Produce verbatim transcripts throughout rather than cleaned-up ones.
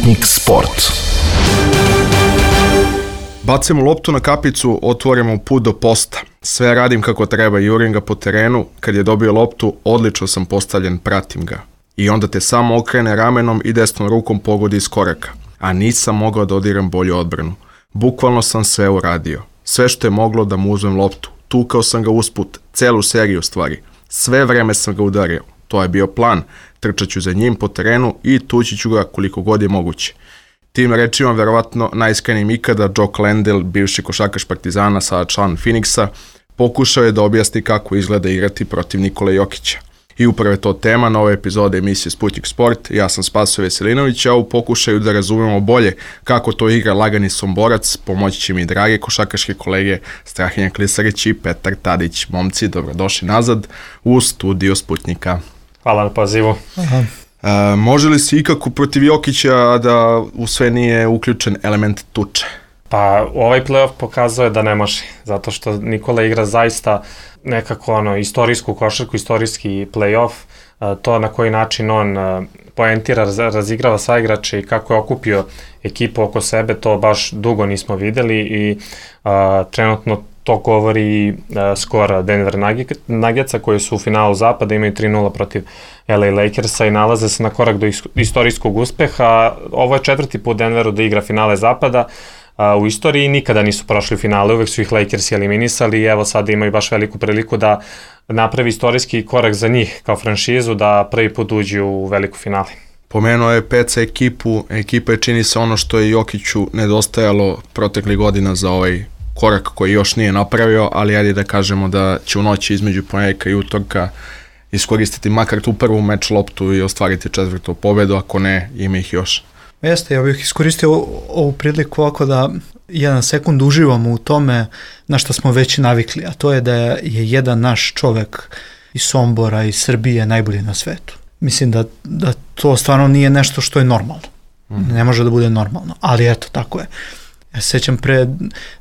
Sputnik Sport. Bacimo loptu na kapicu, otvorimo put do posta. Sve radim kako treba, jurim ga po terenu. Kad je dobio loptu, odlično sam postavljen, pratim ga. I onda te samo okrene ramenom i desnom rukom pogodi iz koraka. A nisam mogao da odigram bolju odbranu. Bukvalno sam sve uradio. Sve što je moglo da mu uzmem loptu. Tukao sam ga usput, celu seriju stvari. Sve vreme sam ga udario. To je bio plan. Trčaću za njim po terenu i tući ću ga koliko god je moguće. Tim rečima, verovatno najiskrenijim ikada, Joe Clandell, bivši košarkaš Partizana, sada član Phoenixa, pokušao je da objasni kako izgleda igrati protiv Nikole Jokića. I upravo je to tema nove epizode emisije Sputnik Sport. Ja sam Spaso Veselinović, a u pokušaju da razumemo bolje kako to igra lagani Somborac, pomoći će mi drage košarkaške kolege Strahinja Klisarić i Petar Tadić. Momci, dobrodošli nazad u studio Sputnika. Hvala na pozivu. Aha. E, može li se ikako protiv Jokića da u sve nije uključen element tuče? Pa ovaj play-off pokazuje da ne može, zato što Nikola igra zaista nekako ono, istorijsku košarku, istorijski play-off, to na koji način on poentira, razigrava sa igrače i kako je okupio ekipu oko sebe, to baš dugo nismo videli i a, trenutno to govori uh, skor Denver Nuggetsa koji su u finalu zapada, imaju tri nula protiv L A Lakersa i nalaze se na korak do istorijskog uspeha. Ovo je četvrti put Denveru da igra finale zapada uh, u istoriji i nikada nisu prošli u finale, uvek su ih Lakersi eliminisali i evo sada imaju baš veliku priliku da napravi istorijski korak za njih kao franšizu, da prvi put uđu u veliku finale. Pomenuo je Peca ekipu, ekipa je čini se ono što je Jokiću nedostajalo proteklih godina za ovaj korak koji još nije napravio, ali ajde da kažemo da će u noći između ponedjeljka i utorka iskoristiti makar tu prvu meč loptu i ostvariti četvrtu pobedu, ako ne, ima ih još. Jeste, ja bih iskoristio ovu priliku ovako da jedan sekund uživamo u tome na što smo već navikli, a to je da je jedan naš čovek iz Sombora, iz Srbije najbolji na svetu. Mislim da, da to stvarno nije nešto što je normalno. Mm. Ne može da bude normalno, ali eto, tako je. Ja se sjećam pre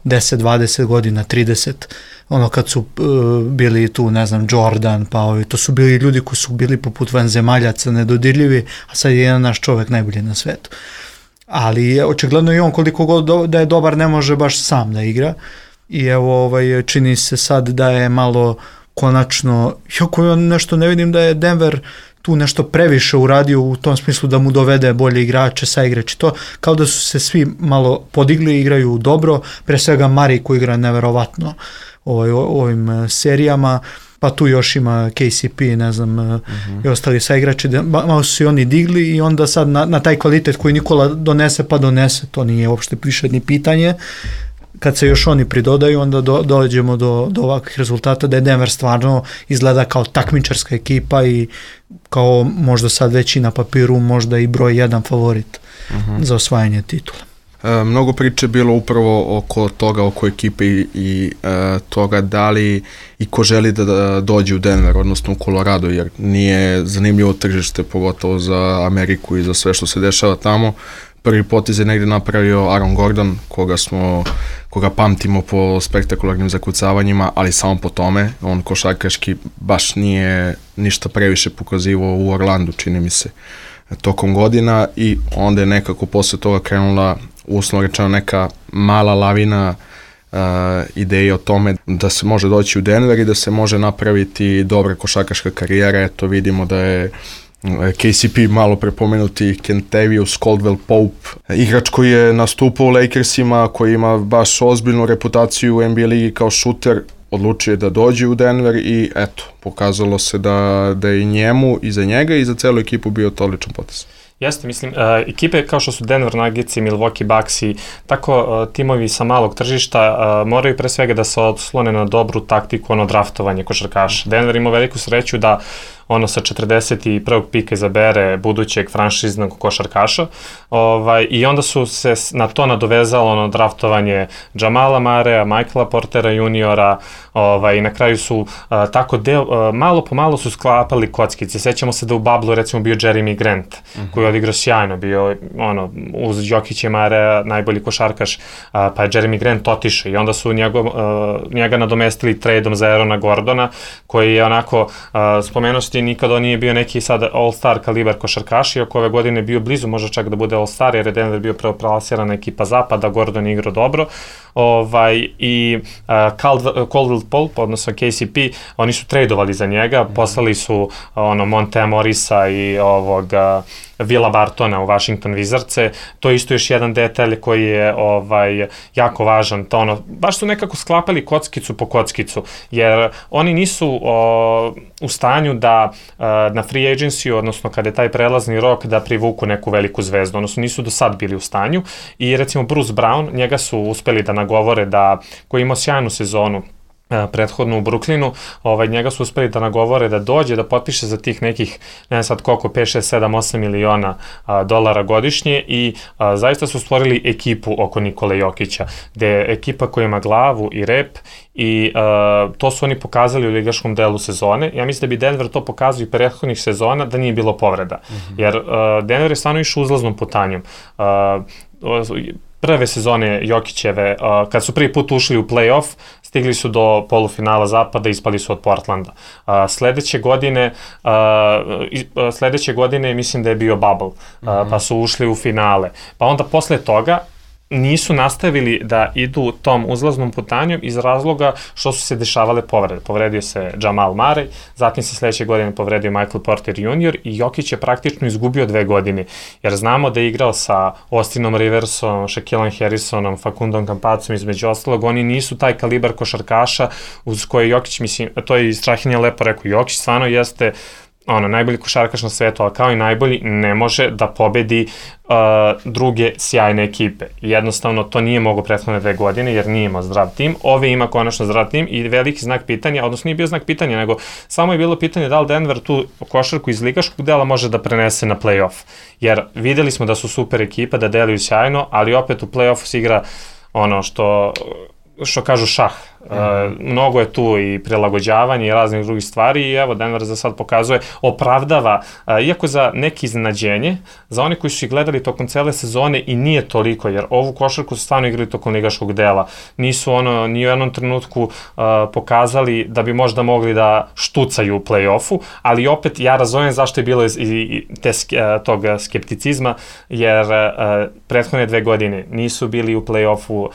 deset, dvadeset godina, trideset, ono kad su uh, bili tu, ne znam, Jordan, pa ovi, to su bili ljudi koji su bili poput vanzemaljaca, nedodirljivi, a sad je jedan naš čovek najbolji na svetu. Ali očigledno i on koliko god do, da je dobar ne može baš sam da igra i evo ovaj, čini se sad da je malo konačno, jako ja nešto ne vidim da je Denver tu nešto previše uradio u tom smislu da mu dovede bolje igrače, saigrače, to kao da su se svi malo podigli, igraju dobro, pre svega Mari koji igra neverovatno ovaj, o, ovim serijama, pa tu još ima K C P, ne znam, uh-huh. i ostali saigrači, malo su se oni digli i onda sad na, na taj kvalitet koji Nikola donese, pa donese, to nije uopšte više ni pitanje. Kad se još oni pridodaju, onda do, dođemo do, do ovakvih rezultata da je Denver stvarno izgleda kao takmičarska ekipa i kao možda sad već i na papiru možda i broj jedan favorit uh-huh. za osvajanje titula. E, mnogo priče bilo upravo oko toga, oko ekipe i, i e, toga da li i ko želi da, da dođe u Denver, odnosno u Colorado, jer nije zanimljivo tržište, pogotovo za Ameriku i za sve što se dešava tamo. Prvi potez je negdje napravio Aaron Gordon, koga smo, koga pamtimo po spektakularnim zakucavanjima, ali samo po tome. On košarkaški baš nije ništa previše pokazivao u Orlandu, čini mi se, tokom godina i onda je nekako posle toga krenula, uslovno rečeno, neka mala lavina uh, ideje o tome da se može doći u Denver i da se može napraviti dobra košarkaška karijera. Eto, vidimo da je K C P, malo prepomenuti Kentavious Caldwell-Pope, igrač koji je nastupao u Lakersima, koji ima baš ozbiljnu reputaciju u N B A ligi kao šuter, odlučio je da dođe u Denver i eto, pokazalo se da, da je i njemu, i za njega i za celu ekipu bio to odličan potez. Jeste, mislim, uh, ekipe kao što su Denver Nuggets i Milwaukee Bucks i tako uh, timovi sa malog tržišta uh, moraju pre svega da se oslone na dobru taktiku, ono draftovanje košarkaša. Denver ima veliku sreću da ono sa četrdeset prvog pika izabere budućeg franšiznog košarkaša ovaj, i onda su se na to nadovezalo ono draftovanje Jamala Marea, Michaela Portera juniora ovaj, i na kraju su uh, tako deo, uh, malo po malo su sklapali kockice. Sećamo se da u Bablu recimo bio Jeremy Grant uh-huh. koji je odigrao sjajno, bio ono, uz Jokića i Marea najbolji košarkaš, uh, pa je Jeremy Grant otišao i onda su njegov, uh, njega nadomestili tradeom za Aarona Gordona koji je onako, uh, spomenuo godišnje, nikad on nije bio neki sad all-star kalibar košarkaš, iako ove godine bio blizu, možda čak da bude all-star, jer je Denver bio preoplasirana ekipa zapada, Gordon igrao dobro, ovaj, i uh, Caldwell Pope, odnosno K C P, oni su tradovali za njega, mm-hmm. poslali su ono, Montea Morisa i ovoga Vila Bartona u Washington Wizardse, to je isto još jedan detalj koji je ovaj, jako važan, to ono, baš su nekako sklapali kockicu po kockicu, jer oni nisu o, u stanju da a, na free agency, odnosno kada je taj prelazni rok, da privuku neku veliku zvezdu, odnosno nisu do sad bili u stanju i recimo Bruce Brown, njega su uspeli da nagovore da, koji imao sjajnu sezonu, prethodno u Brooklynu, ovaj, njega su uspeli da nagovore da dođe, da potpiše za tih nekih, ne znam sad koliko, pet, šest, sedam, osam miliona a, dolara godišnje i a, zaista su stvorili ekipu oko Nikole Jokića, gde je ekipa koja ima glavu i rep i a, to su oni pokazali u ligaškom delu sezone. Ja mislim da bi Denver to pokazao i prethodnih sezona da nije bilo povreda, mm-hmm. jer a, Denver je stvarno išao uzlaznom putanjom. A, prve sezone Jokićeve, uh, kad su prvi put ušli u play-off, stigli su do polufinala zapada i ispali su od Portlanda. Uh, sledeće godine, uh, uh, sledeće godine mislim da je bio bubble, uh, mm-hmm. pa su ušli u finale. Pa onda posle toga nisu nastavili da idu tom uzlaznom putanjom iz razloga što su se dešavale povrede. Povredio se Jamal Murray, zatim se sledeće godine povredio Michael Porter junior i Jokić je praktično izgubio dve godine, jer znamo da je igrao sa Austinom Riversom, Shaquillom Harrisonom, Facundom Campazom, između ostalog, oni nisu taj kalibar košarkaša uz koje Jokić, mislim, to je i Strahinja lepo rekao, Jokić stvarno jeste ono, najbolji košarkaš na svetu, ali kao i najbolji ne može da pobedi uh, druge sjajne ekipe. Jednostavno, to nije mogo prethodne dve godine, jer nije imao zdrav tim. Ove ima konačno zdrav tim i veliki znak pitanja, odnosno nije bio znak pitanja, nego samo je bilo pitanje da li Denver tu košarku iz ligaškog dela može da prenese na play-off. Jer videli smo da su super ekipa, da deluju sjajno, ali opet u play-offu se igra ono što... što kažu šah. Mm. Uh, mnogo je tu i prilagođavanje i raznih drugih stvari i evo Denver za sad pokazuje, opravdava, uh, iako za neki iznenađenje, za oni koji su ih gledali tokom cele sezone i nije toliko, jer ovu košarku su stvarno igrali tokom ligaškog dela. Nisu ono, ni u jednom trenutku uh, pokazali da bi možda mogli da štucaju u play-offu, ali opet ja razumem zašto je bilo i, i te, uh, tog skepticizma, jer uh, prethodne dve godine nisu bili u play-offu uh,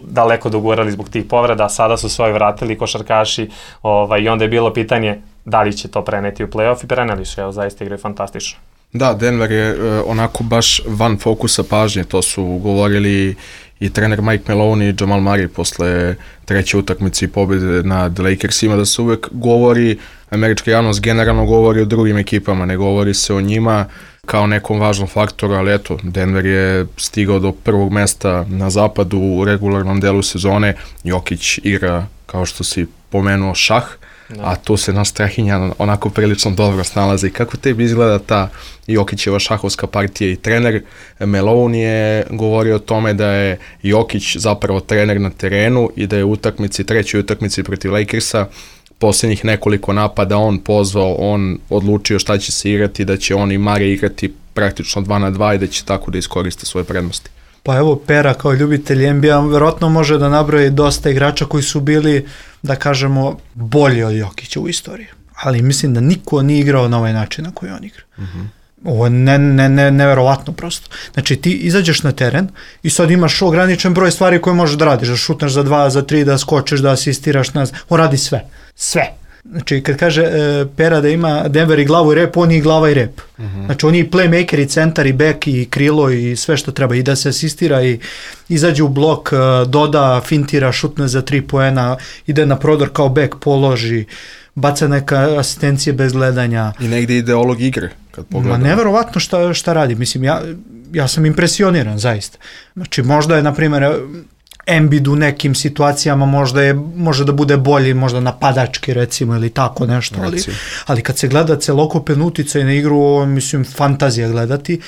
daleko dogurali zbog tih povreda, sada su svoje vratili košarkaši ovaj, i onda je bilo pitanje da li će to preneti u play-off i preneli su, evo, zaista igraju fantastično. Da, Denver je e, onako baš van fokusa pažnje, to su govorili i trener Mike Maloney i Jamal Murray posle treće utakmice i pobjede nad Lakersima, da se uvek govori, američka javnost generalno govori o drugim ekipama, ne govori se o njima kao nekom važnom faktoru, ali eto, Denver je stigao do prvog mesta na zapadu u regularnom delu sezone, Jokić igra, kao što si pomenuo, šah, no. A tu se naš Strahinja onako prilično dobro snalazi. Kako tebi izgleda ta Jokićeva šahovska partija i trener Malone je govorio o tome da je Jokić zapravo trener na terenu i da je u utakmici, trećoj utakmici protiv Lakersa, posljednjih nekoliko napada on pozvao, on odlučio šta će se igrati, da će on i Mare igrati praktično dva na dva i da će tako da iskoriste svoje prednosti. Pa evo, Pera kao ljubitelj N B A verovatno može da nabroji dosta igrača koji su bili, da kažemo, bolji od Jokića u istoriji. Ali mislim da niko nije igrao na ovaj način na koji on igra. Mm-hmm. Ovo je ne, ne, ne, neverovatno prosto. Znači ti izađeš na teren i sad imaš ograničen broj stvari koje možeš da radiš, da šutneš za dva, za tri, da skočiš, da asistiraš, ne znam. On radi sve. Sve. Znači kad kaže e, Pera da ima Denver i glavu i rep, on je i glava i rep. Uh-huh. Znači on je i playmaker i centar i back i krilo i sve što treba i da se asistira i izađe u blok, doda, fintira, šutne za tri poena, ide na prodor kao back, položi, baca neka asistencije bez gledanja. I negdje ideolog igre, kad pogledam. Ma neverovatno šta, šta radi. Mislim, ja, ja sam impresioniran, zaista. Znači, možda je, na primjer, Embiid u nekim situacijama možda je, može da bude bolji, možda napadački, recimo, ili tako nešto, ali, ali kad se gleda celokupen uticaj na igru, ovo, mislim, fantazija gledati.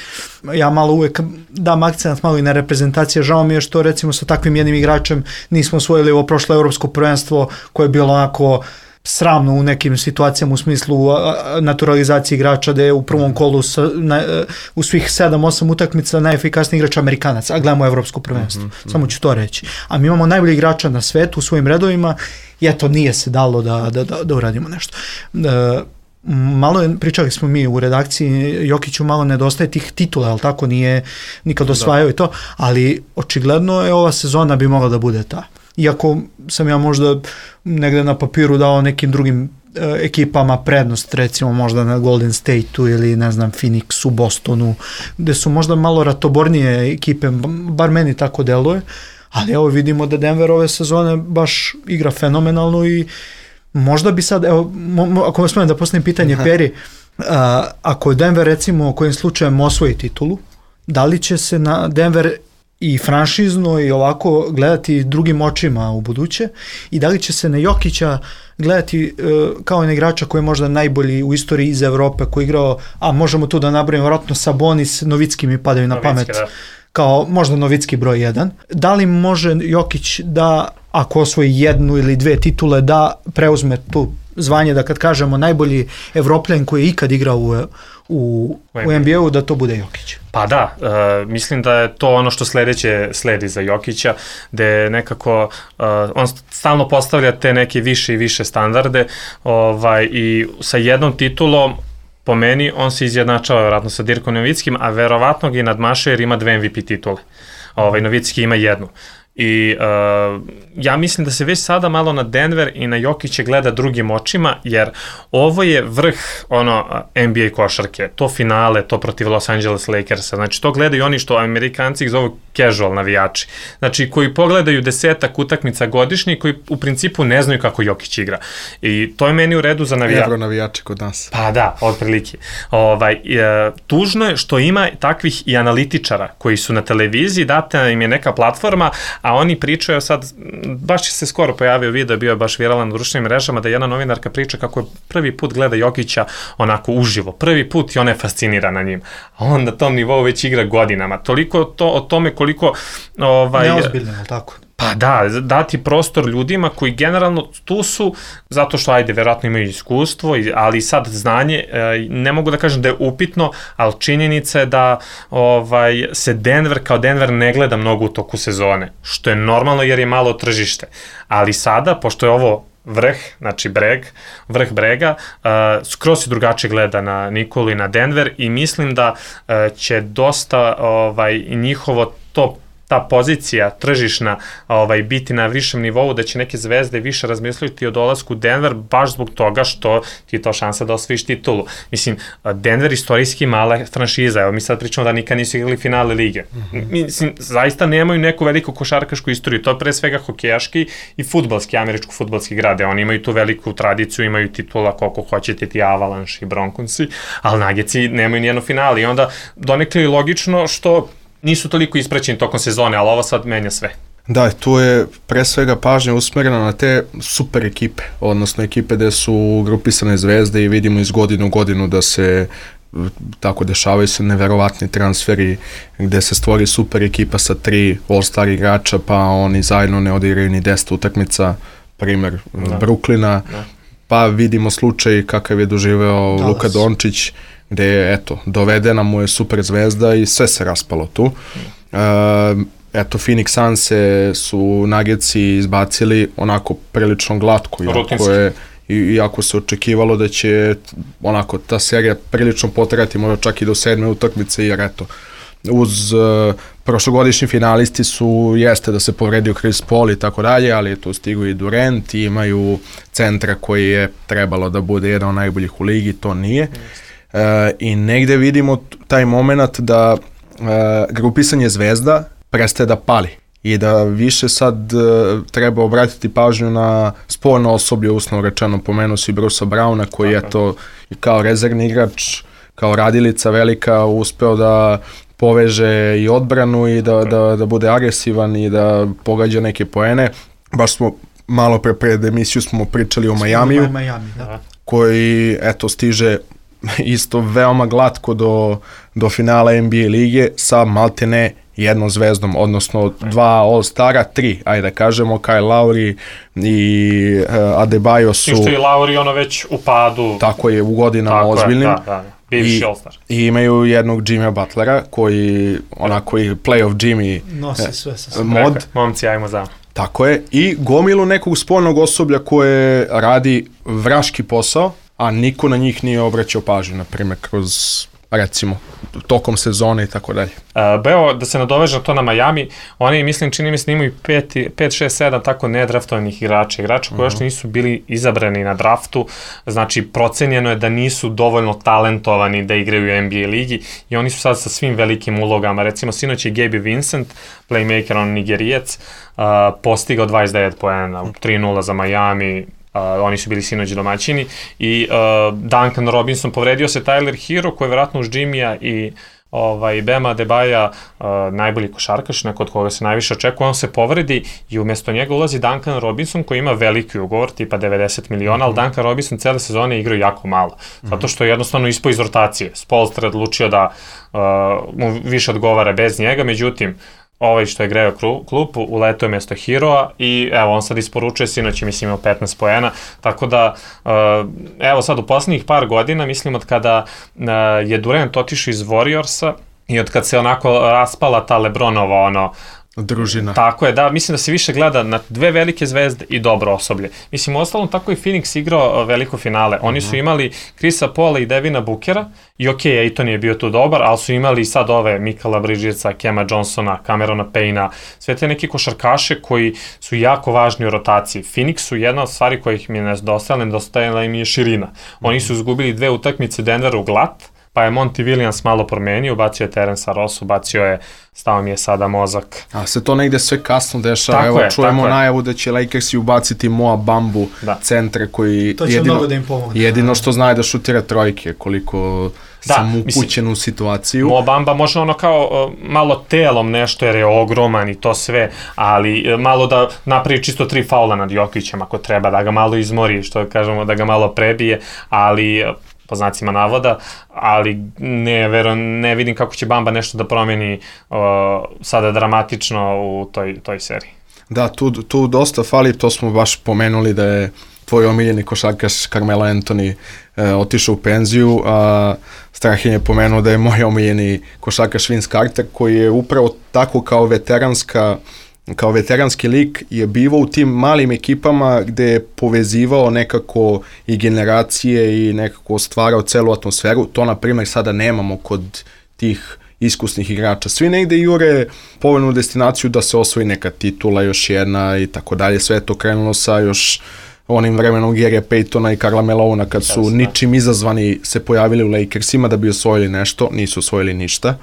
Ja malo uvek dam akcent malo i na reprezentacije, žao mi je što, recimo, sa takvim jednim igračem nismo osvojili ovo prošlo evropsko prvenstvo koje je bilo onako sramno u nekim situacijama u smislu naturalizacije igrača, da je u prvom kolu sa, na, u svih sedam osam utakmica najefikasniji igrač Amerikanac, a gledamo evropsko prvenstvo. Mm-hmm. Samo ću to reći. A mi imamo najbolji igrača na svetu u svojim redovima i eto, nije se dalo da, da, da, da uradimo nešto. E, malo je, pričali smo mi u redakciji, Jokiću malo nedostaje tih titula, ali tako nije nikad osvajao i to, ali očigledno je ova sezona bi mogla da bude ta. Iako sam ja možda negde na papiru dao nekim drugim e, ekipama prednost, recimo možda na Golden State-u ili ne znam Phoenixu, Bostonu, gde su možda malo ratobornije ekipe, bar meni tako deluje, ali evo vidimo da Denver ove sezone baš igra fenomenalno i možda bi sad, evo, mo, ako vas smijem da postavim pitanje Peri, a, ako Denver recimo kojim slučajem osvoji titulu, da li će se na Denver i franšizno i ovako gledati drugim očima u buduće i da li će se na Jokića gledati uh, kao na igrača koji je možda najbolji u istoriji iz Evrope, koji je igrao, a možemo tu da nabrojimo vjerojatno Sabonis, Novicki mi padaju na pamet, da. Kao možda Novicki broj jedan. Da li može Jokić da, ako osvoji jednu ili dve titule, da preuzme tu zvanje, da kad kažemo najbolji Evropljan koji je ikad igrao u, u, u N B A-u, da to bude Jokić? Pa da, uh, mislim da je to ono što sledeće sledi za Jokića, gde nekako uh, on stalno postavlja te neke više i više standarde ovaj, i sa jednom titulom po meni on se izjednačava vjerojatno sa Dirkom Novickim, a verovatno ga i nadmašuje jer ima dve M V P titule. Ovaj, Novicki ima jednu. I uh, ja mislim da se već sada malo na Denver i na Jokića gleda drugim očima, jer ovo je vrh ono N B A košarke, to finale, to protiv Los Angeles Lakersa, znači to gledaju oni što Amerikanci ih zovu casual navijači, znači koji pogledaju desetak utakmica godišnje, koji u principu ne znaju kako Jokić igra. I to je meni u redu za navijače. Evro navijači kod nas. Pa da, otprilike. Ovaj, e, tužno je što ima takvih i analitičara koji su na televiziji, data im je neka platforma, a oni pričaju sad, baš se skoro pojavio video, bio je baš viralan na društvenim mrežama, da jedna novinarka priča kako je prvi put gleda Jokića onako uživo, prvi put i ona je fascinirana njim, a on na tom nivou već igra godinama, toliko to, o tome koliko ovaj, neozbiljno, tako? Pa da, dati prostor ljudima koji generalno tu su, zato što, ajde, verovatno imaju iskustvo, ali sad znanje, ne mogu da kažem da je upitno, ali činjenica je da ovaj, se Denver kao Denver ne gleda mnogo u toku sezone, što je normalno jer je malo tržište. Ali sada, pošto je ovo vrh, znači breg, vrh brega, uh, skroz se drugačije gleda na Nikolu i na Denver i mislim da uh, će dosta ovaj, njihovo to ta pozicija tržišna ovaj, biti na višem nivou, da će neke zvezde više razmisliti o dolasku u Denver baš zbog toga što ti je to šansa da osvojiš titulu. Mislim, Denver istorijski mala franšiza, evo mi sad pričamo da nikad nisu igrali finale lige. Mm-hmm. Mislim, zaista nemaju neku veliku košarkašku istoriju, to je pre svega hokejaški i fudbalski, američko-fudbalski grade, oni imaju tu veliku tradiciju, imaju titula koliko hoćete ti Avalanche i Bronconsi, ali Nuggетsi nemaju nijedno finale i onda donekle je logično što nisu toliko ispraćeni tokom sezone, ali ovo sad menja sve. Da, tu je pre svega pažnja usmerena na te super ekipe, odnosno ekipe gde su grupisane zvezde i vidimo iz godine u godinu da se tako dešavaju se neverovatni transferi gde se stvori super ekipa sa tri all-star igrača, pa oni zajedno ne odigraju ni deset utakmica, primer da. Brooklyna, da. Pa vidimo slučaj kakav je doživeo da, Luka Dončić, gde je, eto, dovedena mu je super zvezda i sve se raspalo tu. Uh, eto, Phoenix Sunse su Nuggetsi izbacili onako prilično glatko, iako je, iako se očekivalo da će onako ta serija prilično potrajati, možda čak i do sedme utakmice, jer eto, uz uh, prošlogodišnji finalisti su, jeste da se povredio Chris Paul i tako dalje, ali tu stigu i Durant i imaju centra koji je trebalo da bude jedan od najboljih u ligi, to nije. Uh, i negde vidimo taj moment da uh, grupisanje zvezda prestaje da pali i da više sad uh, treba obratiti pažnju na sporno osoblje, uslovno rečeno, pomenuo si Brucea Browna koji je to kao rezervni igrač, kao radilica velika uspeo da poveže i odbranu i da, da, da bude agresivan i da pogađa neke poene. Baš smo malo pre pred emisiju smo pričali o Majamiju, Miami, da. Koji eto stiže isto veoma glatko do, do finala N B A lige sa maltene jednom zvezdom, odnosno dva All-Stara, tri, ajde da kažemo, Kyle Lowry i uh, Adebayo su... I što je Lowry ono već u padu. Tako je, u godinama tako ozbiljnim. Je, da, da, bivši All-Star. I imaju jednog Jimmya Butlera, koji, onako i playoff Jimmy nosi sve sa mod. Rekao, momci, ajmo za. Tako je, i gomilu nekog spoljnog osoblja koje radi vraški posao, a niko na njih nije obraćao pažnju, na primjer, kroz, recimo, tokom sezone i tako dalje. Uh, Beo, da se nadoveže to na Miami, oni, mislim, čini mi se, imaju pet, šest, sedam tako nedraftovanih igrača, igrača koji još uh-huh. nisu bili izabrani na draftu, znači procenjeno je da nisu dovoljno talentovani da igraju u N B A ligi i oni su sad sa svim velikim ulogama, recimo sinoć je Gabe Vincent, playmaker, on Nigerijac, uh, postigao dvadeset devet poena, tri nula za Miami. Uh, oni su bili sinoć domaćini i uh, Duncan Robinson, povredio se Tyler Hero koji je vjerojatno uz Jimmya i ovaj, Bema Adebayo uh, najbolji košarkaš, neko od koga se najviše očekuje, on se povredi i umjesto njega ulazi Duncan Robinson koji ima veliki ugovor, tipa devedeset miliona, mm-hmm. ali Duncan Robinson cele sezone igraju jako malo, mm-hmm. zato što je jednostavno ispao iz rotacije. Spoelstra odlučio da uh, mu više odgovara bez njega, međutim, ovaj što je greo klupu, uletao je mjesto Heroa i evo, on sad isporučuje, sinoć je mislim imao petnaest poena, tako da evo sad u posljednjih par godina, mislim od kada je Durant otišao iz Warriorsa i od kad se onako raspala ta LeBronova ono, družina. Tako je, da, mislim da se više gleda na dve velike zvezde i dobro osoblje. Mislim, u ostalom tako i Phoenix igrao veliko finale. Oni su imali Chrisa Paula i Devina Bookera i okej, okay, Ayton je bio tu dobar, ali su imali sad ove Mikala Bridgesa, Kema Johnsona, Camerona Payna, sve te neki košarkaše koji su jako važni u rotaciji. Phoenixu jedna od stvari kojih mi je nedostajala, nedostajala im je širina. Oni su izgubili dve utakmice Denveru glat, pa je Monty Williams malo promenio, ubacio je Terence Ross, ubacio je, stao mi je sada mozak. A se to negde sve kasno dešava, tako evo je, čujemo najavu da će Lakersi ubaciti Moa Bambu, da. Centre koji to će jedino, mnogo da im pomogne. Jedino što zna je da šutira trojke, koliko da, sam upućen u situaciju. Moa Bamba može ono kao uh, malo telom nešto jer je ogroman i to sve, ali uh, malo da napravi čisto tri faula nad Jokićem ako treba, da ga malo izmori, što kažemo, da ga malo prebije, ali uh, po znacima navoda, ali ne, vero, ne vidim kako će Bamba nešto da promeni uh, sada dramatično u toj, toj seriji. Da, tu, tu dosta fali, to smo baš pomenuli da je tvoj omiljeni košarkaš Carmelo Anthony uh, otišao u penziju, a uh, Strahin je pomenuo da je moj omiljeni košarkaš Vince Carter, koji je upravo tako kao veteranska kao veteranski lik je bivao u tim malim ekipama gde je povezivao nekako i generacije i nekako stvarao celu atmosferu. To, na primjer, sada nemamo kod tih iskusnih igrača. Svi negde jure povoljnu destinaciju da se osvoji neka titula, još jedna i tako dalje. Sve je to krenulo sa još onim vremenom Gary'a Paytona i Karla Malona kad su Jasne. ničim izazvani se pojavili u Lakersima da bi osvojili nešto, nisu osvojili ništa.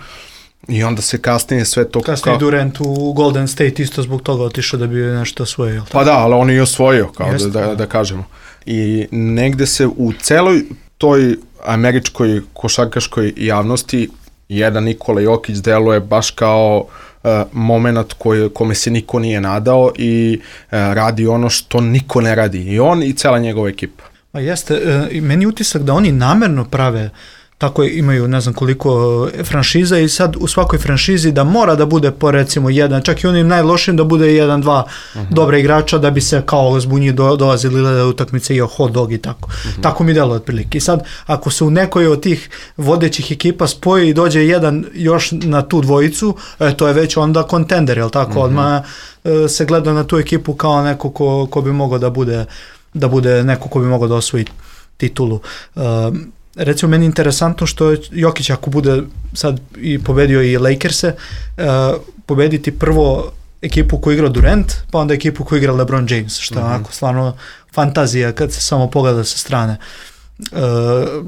I onda se kasnije sve to... Kasnije kao... Durant u Golden State isto zbog toga otišao da bi nešto osvojio. Pa da, ali on je osvojio, kao Jeste, da, da, da kažemo. I negde se u celoj toj američkoj košarkaškoj javnosti jedan Nikola Jokić deluje baš kao uh, moment koji, kome se niko nije nadao i uh, radi ono što niko ne radi. I on i cela njegova ekipa. A jeste, uh, meni utisak da oni namerno prave tako imaju ne znam koliko franšiza i sad u svakoj franšizi da mora da bude po recimo jedan, čak i onim najlošim da bude jedan, dva uh-huh. dobra igrača da bi se kao zbunji do, dolazili da utakmice i hot dog i tako. Uh-huh. Tako mi delo otprilike. I sad ako se u nekoj od tih vodećih ekipa spoji i dođe jedan još na tu dvojicu, e, to je već onda kontender, jel tako? Uh-huh. Odmah e, se gleda na tu ekipu kao neko ko, ko bi mogao da bude, da bude neko ko bi mogao da osvoji titulu. E, Recimo, meni je interesantno što Jokić ako bude sad i pobedio i Lakerse, uh, pobediti prvo ekipu koju igra Durant, pa onda ekipu koju igra LeBron James, što je mm-hmm. onako stvarno fantazija kad se samo pogleda sa strane. Uh,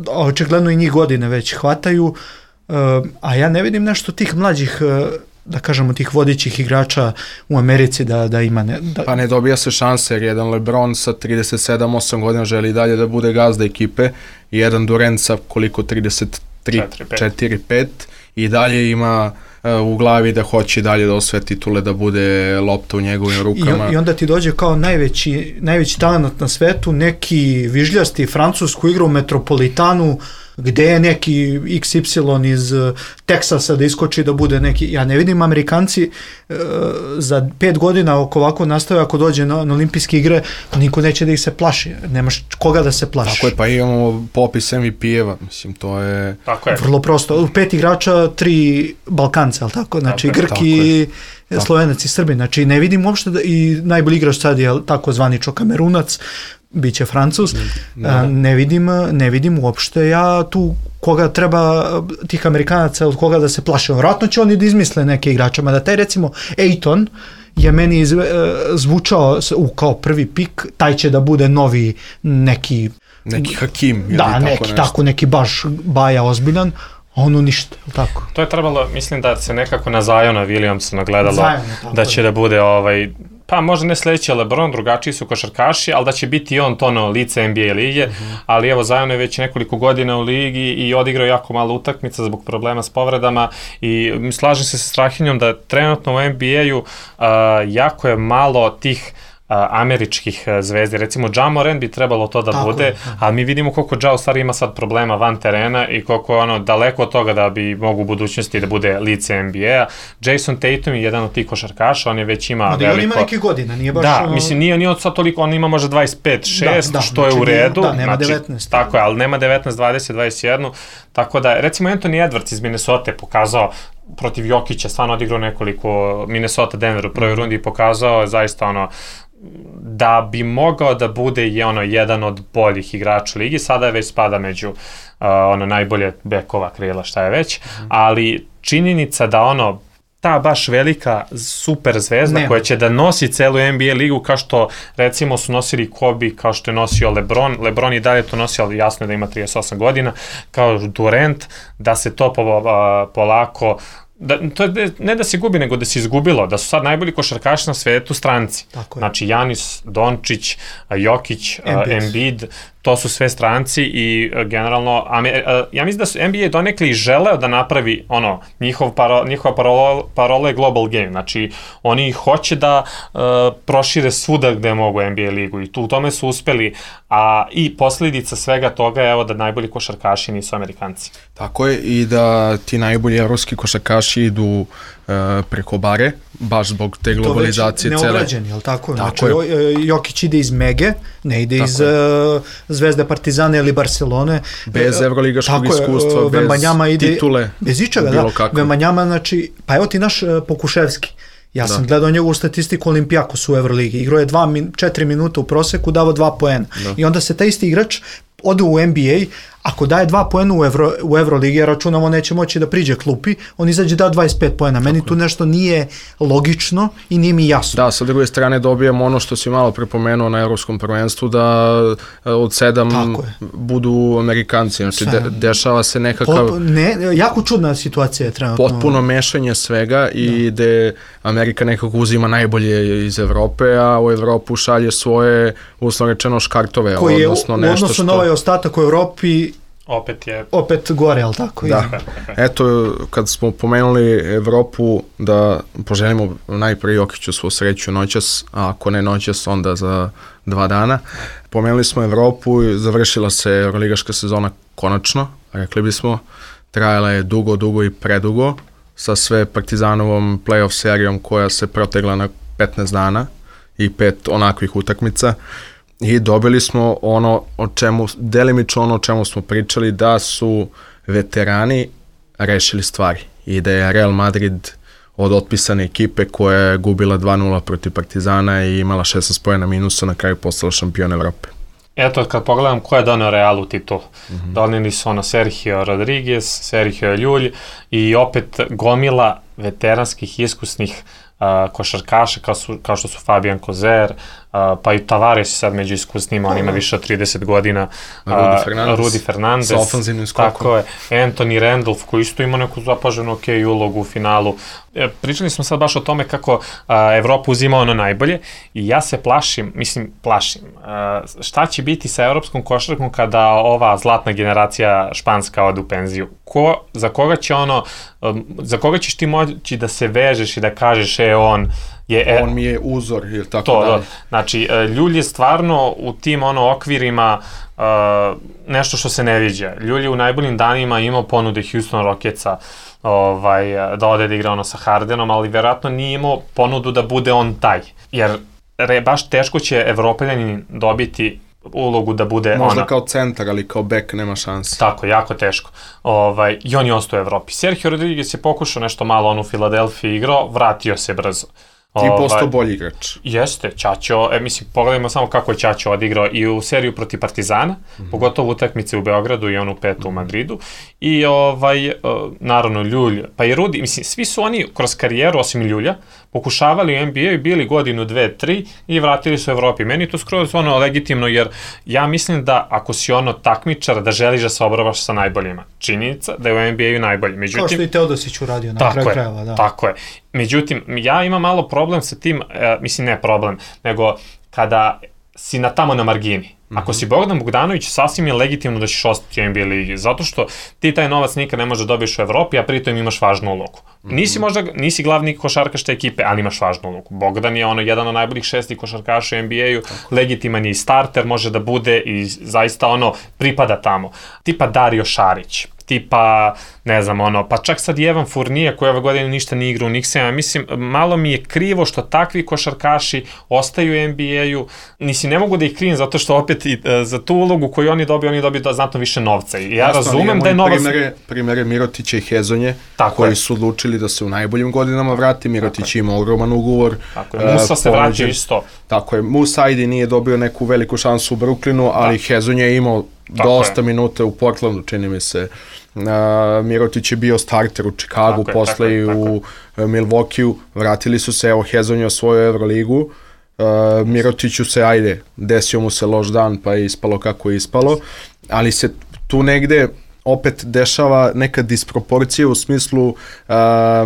očigledno i njih godine već hvataju, uh, a ja ne vidim nešto tih mlađih uh, da kažemo tih vodećih igrača u Americi da, da ima ne, da... Pa ne dobija se šanse jer jedan LeBron sa trideset sedam osam godina želi dalje da bude gazda ekipe i jedan Durant sa koliko trideset tri četiri pet i dalje ima uh, u glavi da hoće dalje da osvoje titule, da bude lopta u njegovim rukama. I, i onda ti dođe kao najveći, najveći talent na svetu, neki vižljasti Francuz koji igra u Metropolitanu, gde je neki iks ipsilon iz Teksasa da iskoči da bude neki, ja ne vidim Amerikanci e, za pet godina oko ovako nastave, ako dođe na, na olimpijske igre, niko neće da ih se plaši, nemaš koga da se plaši. Tako je, pa imamo popis em ve pe-eva, mislim, to je... Tako je. Vrlo prosto, pet igrača, tri Balkanca, ali tako, znači tako Grki, Slovenac i Srbi, znači ne vidim uopšte da, i najbolji igrač sad je tako zvanično Kamerunac, bit će Francuz, Da. ne vidim, ne vidim uopšte ja tu koga treba, tih Amerikanaca, od koga da se plaše. Vratno će oni da izmisle neke igrače, mada taj recimo Ayton je meni izve, zvučao u, kao prvi pik, taj će da bude novi neki... Neki Hakim. Da, tako neki nešto. tako, neki baš baja ozbiljan, a ono ništa, tako. To je trebalo, mislim da se nekako na Ziona Williamsa nagledalo, Zion, tako da će je. da bude ovaj, pa možda ne sledeći LeBron, drugačiji su košarkaši, ali da će biti on to ono lice N B A lige, mm-hmm. ali evo Zion je već nekoliko godina u ligi i odigrao jako malo utakmica zbog problema s povredama i slažem se sa Strahinjom da trenutno u N B A-u uh, jako je malo tih Uh, američkih uh, zvezdi, recimo Ja Morant bi trebalo to da tako bude, je, ali mi vidimo koliko Ja u stvari ima sad problema van terena i koliko ono daleko od toga da bi mogu u budućnosti da bude lice N B A. Jason Tatum je jedan od tih košarkaša, on je već ima no, da veliko... on ima neke godine, nije baš... Da, ono... mislim, nije, nije od sad toliko, on ima možda dvadeset pet šest, da, da, što znači, je u redu. Da, nema znači, devetnaest. Tako je, ali nema devetnaest, dvadeset, dvadeset jedan, tako da, recimo Anthony Edwards iz Minnesota je pokazao protiv Jokića, stvarno odigrao nekoliko Minnesota Denver u prvoj rundi i pokazao je zaista ono da bi mogao da bude je ono jedan od boljih igrača u ligi, sada je već spada među uh, ono najbolje bekova krila, šta je već, mm. ali činjenica da ono ta baš velika super zvezda ne. koja će da nosi celu N B A ligu kao što recimo su nosili Kobe, kao što je nosio LeBron, LeBron i dalje to nosio, ali jasno je da ima trideset osam godina, kao Durant, da se to po, uh, polako Da, to je ne da se gubi, nego da se izgubilo, da su sad najbolji košarkaši na svetu stranci. Znači Janis, Dončić, Jokić, Embiid, to su sve stranci i uh, generalno, Amer, uh, ja mislim da su N B A donekli i želeo da napravi ono, njihov paro, njihova parola, parola je global game, znači oni hoće da uh, prošire svuda gde mogu N B A ligu i tu u tome su uspeli, a i posljedica svega toga je evo da najbolji košarkaši nisu Amerikanci. Tako je i da ti najbolji evropski košarkaši idu uh, preko bare, baš zbog te globalizacije cele. To već neobrađeni, je li tako? Tako znači, je. Jokić ide iz Mege, ne ide tako iz uh, Zvezde Partizana ili Barcelone. Bez evroligaškog iskustva, je, bez ide, titule. Bez ičega, da. Kako. Vembanjama, znači, pa evo ti naš uh, Pokuševski. Ja sam da. gledao njegovu statistiku Olimpijakos u Evroligi. Igrao je dva, četiri minuta u proseku, davo dva poena. Da. I onda se taj isti igrač ode u N B A, ako daje dva poena u, Evro, u Euroligi, ja računamo neće moći da priđe klupi, on izađe da dvadeset pet poena. Meni tako tu nešto nije logično i nije mi jasno. Da, sa druge strane dobijemo ono što si malo prepomenuo na evropskom prvenstvu, da od sedam budu Amerikanci. Znači, de, dešava se nekakav... Pot, ne, jako čudna situacija je trenutno. Potpuno mešanje svega i da. gde Amerika nekako uzima najbolje iz Evrope, a u Evropu šalje svoje, uslovno rečeno, škartove. Koji je odnosno u nešto odnosu što... na ovaj ostatak u Evropi opet je opet gore, al tako? Da. Eto, kad smo pomenuli Evropu, da poželimo najprije Jokiću svu sreću noćas, a ako ne noćas, onda za dva dana. Pomenuli smo Evropu i završila se euroligaška sezona konačno, rekli bismo. Trajala je dugo, dugo i predugo, sa sve Partizanovom play-off serijom koja se protegla na petnaest dana i pet onakvih utakmica. I dobili smo ono o čemu, delimično ono o čemu smo pričali, da su veterani rešili stvari i da je Real Madrid od otpisane ekipe koja je gubila dva nula protiv Partizana i imala šesnaest poena minusa, na kraju postala šampion Evrope. Eto, kad pogledam ko je donio Realu titul, mm-hmm. donijeli su ono Sergio Rodriguez, Sergio Ljulj i opet gomila veteranskih iskusnih Uh, košarkaša kao, su, kao što su Fabian Kozer, uh, pa i Tavares sad među iskusnima, on ima više od trideset godina, uh, Rudy Fernandez, Rudy Fernandez sa ofenzivnim skokom. Tako je, Anthony Randolph koji isto ima neku zapaženu ok ulogu u finalu. E, pričali smo sad baš o tome kako uh, Evropa uzima ono najbolje i ja se plašim, mislim plašim, uh, šta će biti sa evropskom košarkom kada ova zlatna generacija španska ode u penziju? Ko, za koga će ono, um, za koga ćeš ti moći da se vežeš i da kažeš e on je... E, on mi je uzor ili tako to, dalje. Znači, Ljulj je stvarno u tim ono okvirima uh, nešto što se ne viđa. Ljulj je u najboljim danima imao ponude Houston Rocketsa ovaj, da ode da igra ono sa Hardenom, ali vjerojatno nije imao ponudu da bude on taj. Jer re, baš teško će Evropeljanin dobiti ulogu da bude možda ona. Kao centar, ali kao bek nema šanse. Tako, jako teško. Ovaj, I on je ostao u Evropi. Sergio Rodriguez je pokušao nešto malo on u Filadelfiji igrao, vratio se brzo. Ti postao bolji igrač. Jeste, Ćaćo, e, mislim, pogledajmo samo kako je Ćaćo odigrao i u seriju protiv Partizana, mm-hmm. pogotovo utakmice u Beogradu i onu petu u Madridu, i ovaj, naravno Ljulj, pa i Rudi, mislim, svi su oni kroz karijeru, osim Ljulja, pokušavali u N B A i bili godinu, dve, tri i vratili su u Evropi. Meni to skroz ono legitimno, jer ja mislim da ako si ono takmičar, da želiš da se obravaš sa najboljima. Činjenica da je u N B A-u najbolji. Međutim, kao što i Teodosić uradio na kraju krajeva. Da. Tako je. Međutim, ja imam malo problem sa tim, e, mislim ne problem, nego kada si na tamo na margini. Ako si Bogdan Bogdanović, sasvim je legitimno da ćeš ostati u N B A ligi, zato što ti taj novac nikad ne možeš da dobiješ u Evropi, a pritom imaš važnu ulogu. Nisi možda, nisi glavni košarkaš te ekipe, ali imaš važnu ulogu. Bogdan je ono jedan od najboljih šestih košarkaša u N B A-u, legitiman je i starter, može da bude i zaista ono pripada tamo. Tipa Dario Šarić, tipa, ne znam, ono, pa čak sad i Evan Fournier koji ove godine ništa nije igra u Knicksima, mislim, malo mi je krivo što takvi košarkaši ostaju u N B A-u, nisi ne mogu da ih krivim zato što opet i, e, za tu ulogu koju oni dobiju, oni dobiju da znatno više novca i ja Jasno, razumem da je novac... Primere, primere Mirotića i Hezonje, tako koji je. su odlučili da se u najboljim godinama vrati, Mirotić ima ogroman ugovor. Tako je, Musa uh, se vraća isto. Tako je, Musa ajde nije dobio neku veliku šansu u Brooklynu, ali da. Hezonje je imao Tako dosta je. minuta u Portlandu, čini mi se. Uh, Mirotić je bio starter u Chicagu, tako posle je, tako i u uh, Milwaukee-u, vratili su se, evo Hezonje osvojio Euroligu, uh, Mirotiću se, ajde, desio mu se loš dan pa je ispalo kako je ispalo, ali se tu negde opet dešava neka disproporcija u smislu uh,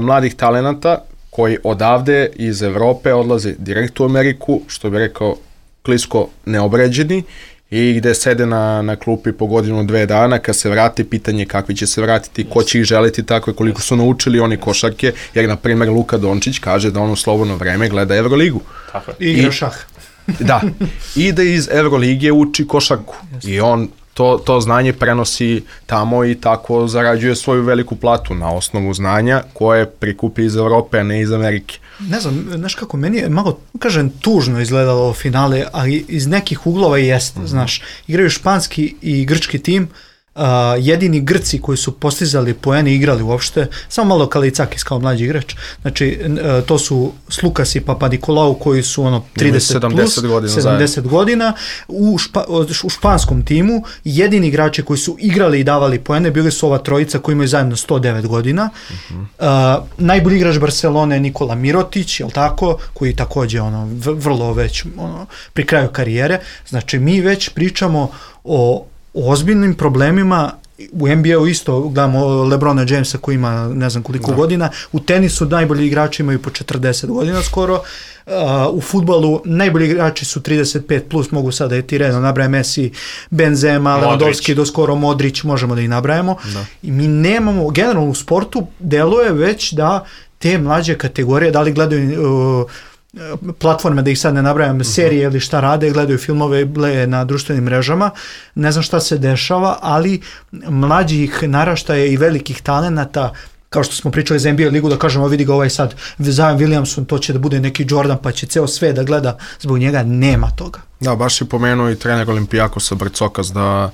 mladih talenata koji odavde iz Evrope odlaze direkt u Ameriku, što bi rekao klisko neobređeni, i gde sede na, na klupi po godinu dve dana, kad se vrate, pitanje kakvi će se vratiti, ko će ih želiti tako, koliko su naučili oni košarke, jer na primjer Luka Dončić kaže da on u slobodno vreme gleda Evroligu. Tako je. I igra šah. Da, i da iz Evrolige uči košarku. Jasne. I on to, to znanje prenosi tamo i tako zarađuje svoju veliku platu na osnovu znanja koje prikupi iz Evrope, a ne iz Amerike. Ne znam, znaš kako, meni je malo, kažem, tužno izgledalo ovo finale, ali iz nekih uglova i jeste, mm-hmm. znaš, igraju španski i grčki tim, Uh, jedini Grci koji su postizali poene igrali uopšte, samo malo Kalicakis kao mlađi igrač, znači uh, to su Slukas i Papadikolau koji su ono trideset plus, godina, sedamdeset godina, u, špa, u španskom timu jedini igrači koji su igrali i davali poene bili su ova trojica koji imaju zajedno sto devet godina. Uh-huh. Uh, najbolji igrač Barcelone je Nikola Mirotić, jel tako, koji takođe ono, vrlo već ono, pri kraju karijere, znači mi već pričamo o o ozbiljnim problemima. U N B A-u isto gledamo LeBrona Jamesa koji ima ne znam koliko da. godina, u tenisu najbolji igrači imaju po četrdeset godina skoro, uh, u fudbalu najbolji igrači su trideset pet plus, mogu sada je ti redno nabrajem Messi, Benzema, Lewandowski, do skoro Modrić, možemo da ih nabrajamo. Da. I mi nemamo, generalno u sportu deluje već da te mlađe kategorije, da li gledaju uh, platforme, da ih sad ne nabrajam, serije ili šta rade, gledaju filmove na društvenim mrežama, ne znam šta se dešava, ali mlađih naraštaja i velikih talenata, kao što smo pričali za N B A ligu, da kažemo, vidi ga ovaj sad Zion Williamson, to će da bude neki Jordan, pa će ceo sve da gleda, zbog njega nema toga. Da, baš je pomenuo i trener Olimpijakosa Brcokas da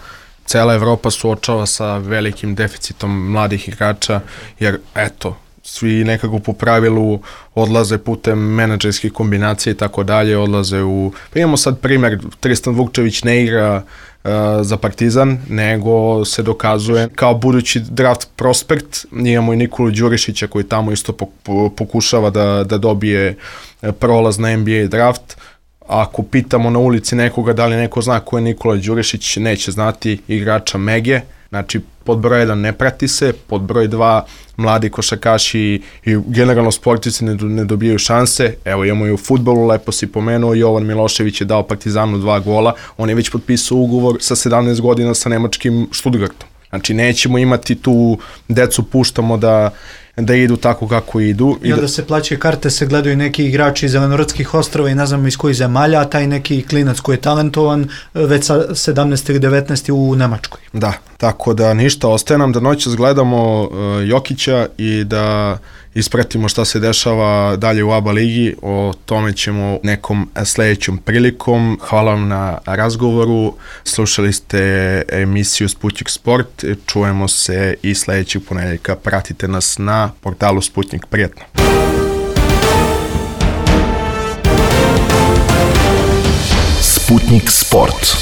cela Evropa suočava sa velikim deficitom mladih igrača, jer eto, svi nekako po pravilu odlaze putem menadžerskih kombinacija i tako dalje, odlaze u... Pa imamo sad primjer, Tristan Vukčević ne igra uh, za Partizan, nego se dokazuje kao budući draft prospekt. Imamo i Nikolu Đurišića koji tamo isto pokušava da, da dobije prolaz na N B A draft. Ako pitamo na ulici nekoga da li neko zna ko je Nikola Đurišić, neće znati, igrača Mege. Znači, pod broj jedan ne prati se, pod broj dva mladi košarkaši i generalno sportisti ne, ne dobijaju šanse. Evo, imamo i u fudbalu, lepo si pomenuo, Jovan Milošević je dao Partizanu dva gola, on je već potpisao ugovor sa sedamnaest godina sa nemačkim Stuttgartom. Znači, nećemo imati tu decu, puštamo da da idu tako kako idu. I da, da se plaćaju karte, se gledaju neki igrači iz Zelenortskih ostrava i ne znam iz kojih zemalja, a taj neki klinac koji je talentovan već sa sedamnaest ili devetnaest u Nemačkoj. Da, tako da ništa, ostaje nam da noćas gledamo uh, Jokića i da ispratimo šta se dešava dalje u A B A ligi, o tome ćemo nekom sledećom prilikom. Hvala vam na razgovoru, slušali ste emisiju Sputnik Sport, čujemo se i sledećeg ponedeljka, pratite nas na portalu Sputnik, prijetno. Sputnik Sport.